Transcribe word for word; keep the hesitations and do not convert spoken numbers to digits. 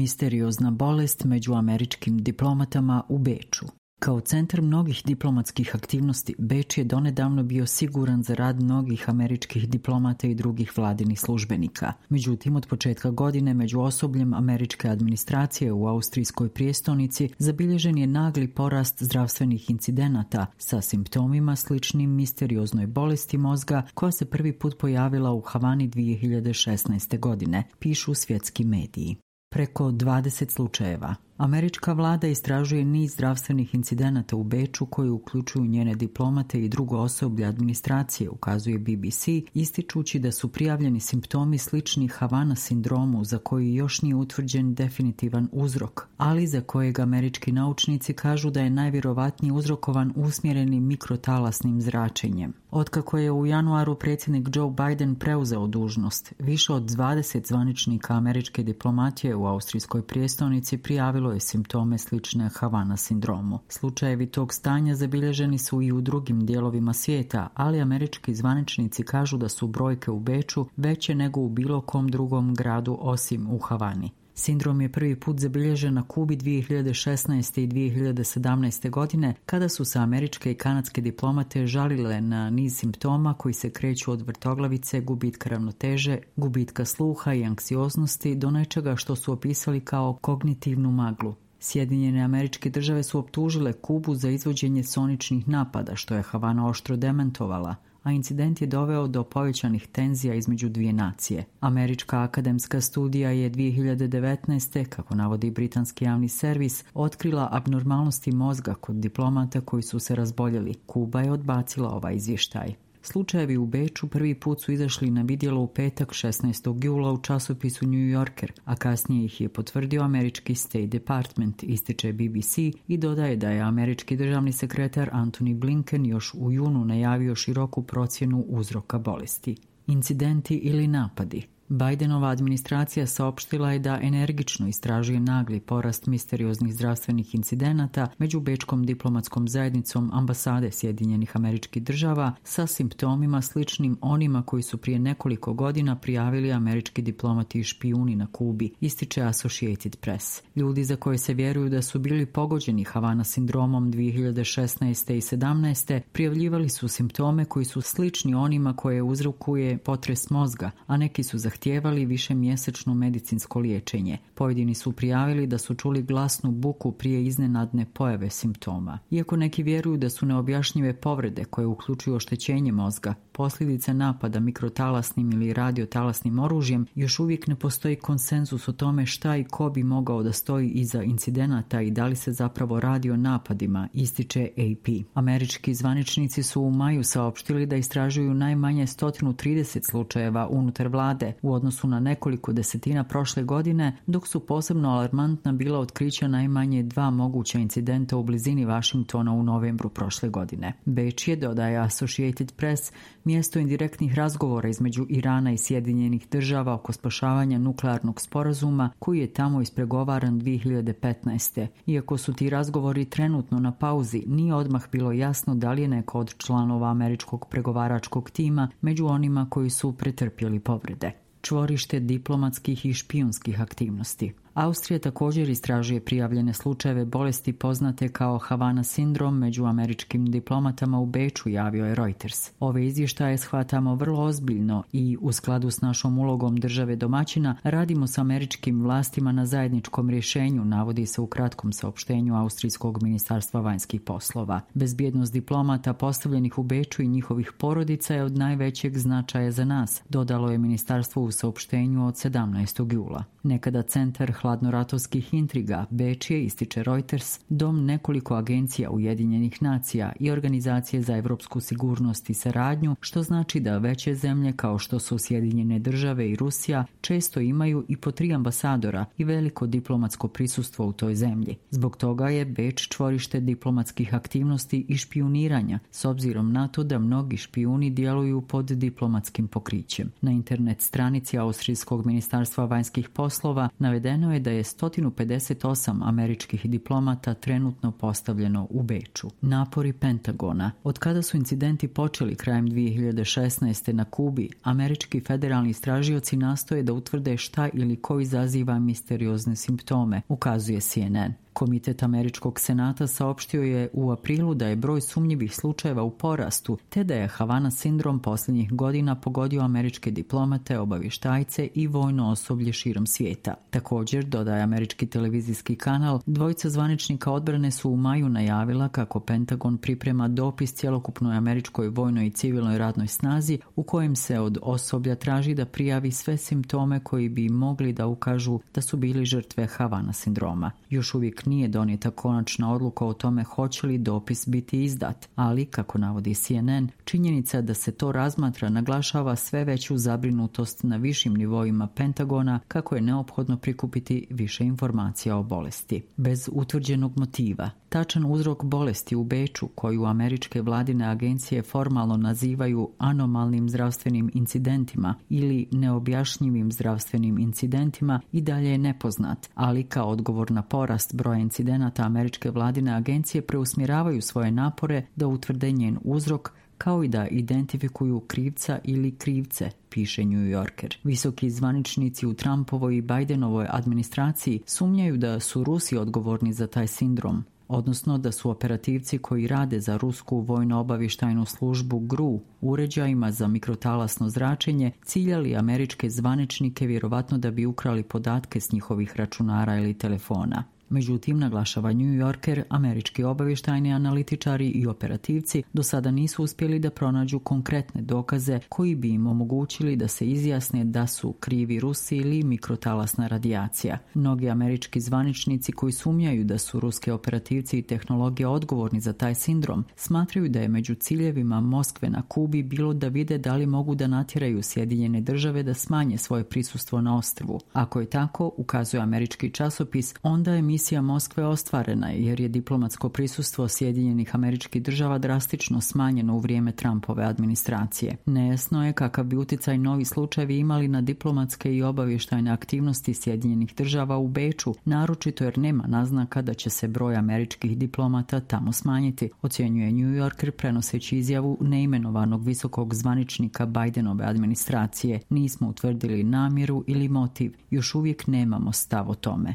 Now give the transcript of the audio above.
Misteriozna bolest među američkim diplomatama u Beču. Kao centar mnogih diplomatskih aktivnosti, Beč je donedavno bio siguran za rad mnogih američkih diplomata i drugih vladinih službenika. Međutim, od početka godine među osobljem američke administracije u austrijskoj prijestolnici zabilježen je nagli porast zdravstvenih incidenata sa simptomima sličnim misterioznoj bolesti mozga koja se prvi put pojavila u Havani dvije hiljade šesnaeste. godine, pišu svjetski mediji. Preko dvadeset slučajeva. Američka vlada istražuje niz zdravstvenih incidenata u Beču koji uključuju njene diplomate i drugo osoblje administracije, ukazuje B B C, ističući da su prijavljeni simptomi slični Havana sindromu za koji još nije utvrđen definitivan uzrok, ali za kojeg američki naučnici kažu da je najvjerovatnije uzrokovan usmjerenim mikrotalasnim zračenjem. Otkako je u januaru predsjednik Joe Biden preuzeo dužnost, više od dvadeset zvaničnika američke diplomatije u austrijskoj prijestolnici prijavilo je simptome slične Havana sindromu. Slučajevi tog stanja zabilježeni su i u drugim dijelovima svijeta, ali američki zvaničnici kažu da su brojke u Beču veće nego u bilo kom drugom gradu osim u Havani. Sindrom je prvi put zabilježen na Kubi dvije hiljade šesnaeste. i dvije hiljade sedamnaeste. godine, kada su se američke i kanadske diplomate žalile na niz simptoma koji se kreću od vrtoglavice, gubitka ravnoteže, gubitka sluha i anksioznosti do nečega što su opisali kao kognitivnu maglu. Sjedinjene Američke Države su optužile Kubu za izvođenje soničnih napada, što je Havana oštro demantovala, a incident je doveo do povećanih tenzija između dvije nacije. Američka akademska studija je dvije hiljade devetnaeste. kako navodi britanski javni servis, otkrila abnormalnosti mozga kod diplomata koji su se razboljeli. Kuba je odbacila ovaj izvještaj. Slučajevi u Beču prvi put su izašli na vidjelo u petak šesnaestog jula u časopisu New Yorker, a kasnije ih je potvrdio američki State Department, ističe B B C i dodaje da je američki državni sekretar Antony Blinken još u junu najavio široku procjenu uzroka bolesti. Incidenti ili napadi. Bidenova administracija saopštila je da energično istražuje nagli porast misterioznih zdravstvenih incidenata među bečkom diplomatskom zajednicom ambasade Sjedinjenih Američkih Država sa simptomima sličnim onima koji su prije nekoliko godina prijavili američki diplomati i špijuni na Kubi, ističe Associated Press. Ljudi za koje se vjeruju da su bili pogođeni Havana sindromom dvije hiljade šesnaeste. i sedamnaeste. prijavljivali su simptome koji su slični onima koje uzrokuje potres mozga, a neki su zahtjevali zahtijevali višemjesečno medicinsko liječenje. Pojedini su prijavili da su čuli glasnu buku prije iznenadne pojave simptoma. Iako neki vjeruju da su neobjašnjive povrede koje uključuju oštećenje mozga, posljedice napada mikrotalasnim ili radiotalasnim oružjem, još uvijek ne postoji konsenzus o tome šta i ko bi mogao da stoji iza incidenata i da li se zapravo radi o napadima, ističe A P. Američki zvaničnici su u maju saopštili da istražuju najmanje sto trideset slučajeva unutar vlade u odnosu na nekoliko desetina prošle godine, dok su posebno alarmantna bila otkrića najmanje dva moguća incidenta u blizini Washingtona u novembru prošle godine. Beč je, dodaje Associated Press, mjesto indirektnih razgovora između Irana i Sjedinjenih Država oko spašavanja nuklearnog sporazuma koji je tamo ispregovaran dvije hiljade petnaeste. Iako su ti razgovori trenutno na pauzi, nije odmah bilo jasno da li je neko od članova američkog pregovaračkog tima među onima koji su pretrpjeli povrede. Čvorište diplomatskih i špijunskih aktivnosti. Austrija također istražuje prijavljene slučajeve bolesti poznate kao Havana sindrom među američkim diplomatama u Beču, javio je Reuters. Ove izvještaje shvatamo vrlo ozbiljno i u skladu s našom ulogom države domaćina radimo s američkim vlastima na zajedničkom rješenju, navodi se u kratkom saopštenju Austrijskog ministarstva vanjskih poslova. Bezbjednost diplomata postavljenih u Beču i njihovih porodica je od najvećeg značaja za nas, dodalo je ministarstvo u saopštenju od sedamnaestog jula. Nekada centar hladnoratovskih intriga, Beč je, ističe Reuters, dom nekoliko agencija Ujedinjenih nacija i organizacije za evropsku sigurnost i saradnju, što znači da veće zemlje kao što su Sjedinjene Države i Rusija često imaju i po tri ambasadora i veliko diplomatsko prisustvo u toj zemlji. Zbog toga je Beč čvorište diplomatskih aktivnosti i špijuniranja, s obzirom na to da mnogi špijuni djeluju pod diplomatskim pokrićem. Na internet stranici Austrijskog ministarstva vanjskih poslova navedeno saopšteno je da je sto pedeset osam američkih diplomata trenutno postavljeno u Beču. Napori Pentagona. Od kada su incidenti počeli krajem dvije hiljade šesnaeste. na Kubi, američki federalni istražioci nastoje da utvrde šta ili ko izaziva misteriozne simptome, ukazuje C N N. Komitet Američkog senata saopštio je u aprilu da je broj sumnjivih slučajeva u porastu, te da je Havana sindrom posljednjih godina pogodio američke diplomate, obavještajce i vojno osoblje širom svijeta. Također, dodaje američki televizijski kanal, dvojica zvaničnika odbrane su u maju najavila kako Pentagon priprema dopis cjelokupnoj američkoj vojnoj i civilnoj radnoj snazi u kojem se od osoblja traži da prijavi sve simptome koji bi mogli da ukažu da su bili žrtve Havana sindroma. Još uvijek nije donijeta konačna odluka o tome hoće li dopis biti izdat, ali, kako navodi C N N, činjenica da se to razmatra naglašava sve veću zabrinutost na višim nivoima Pentagona kako je neophodno prikupiti više informacija o bolesti. Bez utvrđenog motiva. Tačan uzrok bolesti u Beču, koju američke vladine agencije formalno nazivaju anomalnim zdravstvenim incidentima ili neobjašnjivim zdravstvenim incidentima, i dalje je nepoznat, ali kao odgovor na porast broja incidenata američke vladine agencije preusmjeravaju svoje napore da utvrde njen uzrok, kao i da identifikuju krivca ili krivce, piše New Yorker. Visoki zvaničnici u Trumpovoj i Bidenovoj administraciji sumnjaju da su Rusi odgovorni za taj sindrom, odnosno da su operativci koji rade za rusku vojno-obavještajnu službu G R U uređajima za mikrotalasno zračenje ciljali američke zvaničnike vjerovatno da bi ukrali podatke s njihovih računara ili telefona. Međutim, naglašava New Yorker, američki obavještajni analitičari i operativci do sada nisu uspjeli da pronađu konkretne dokaze koji bi im omogućili da se izjasne da su krivi Rusi ili mikrotalasna radijacija. Mnogi američki zvaničnici koji sumnjaju da su ruske operativci i tehnologije odgovorni za taj sindrom smatraju da je među ciljevima Moskve na Kubi bilo da vide da li mogu da natjeraju Sjedinjene države da smanje svoje prisustvo na ostrvu. Ako je tako, ukazuje američki časopis, onda je misija Moskve ostvarena jer je diplomatsko prisustvo Sjedinjenih Američkih Država drastično smanjeno u vrijeme Trumpove administracije. Nejasno je kakav bi utjecaj novi slučajevi imali na diplomatske i obavještajne aktivnosti Sjedinjenih Država u Beču, naročito jer nema naznaka da će se broj američkih diplomata tamo smanjiti, ocjenjuje New Yorker prenoseći izjavu neimenovanog visokog zvaničnika Bidenove administracije. Nismo utvrdili namjeru ili motiv, još uvijek nemamo stav o tome.